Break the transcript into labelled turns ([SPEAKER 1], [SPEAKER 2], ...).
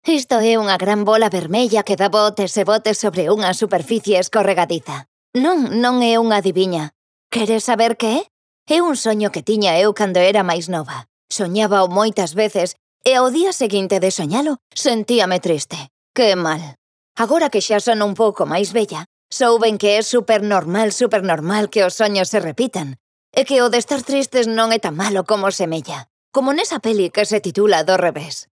[SPEAKER 1] Isto é unha gran bola vermella que dá botes e botes sobre unha superficie escorregadiza. Non é unha adiviña. Queres saber que é? É un soño que tiña eu cando era máis nova. Soñábao moitas veces e ao día seguinte de soñalo sentíame triste. Que mal. Agora que xa son un pouco máis vella, souben que é supernormal que os soños se repitan. E que o de estar tristes non é tan malo como semella. Como nesa peli que se titula Do revés.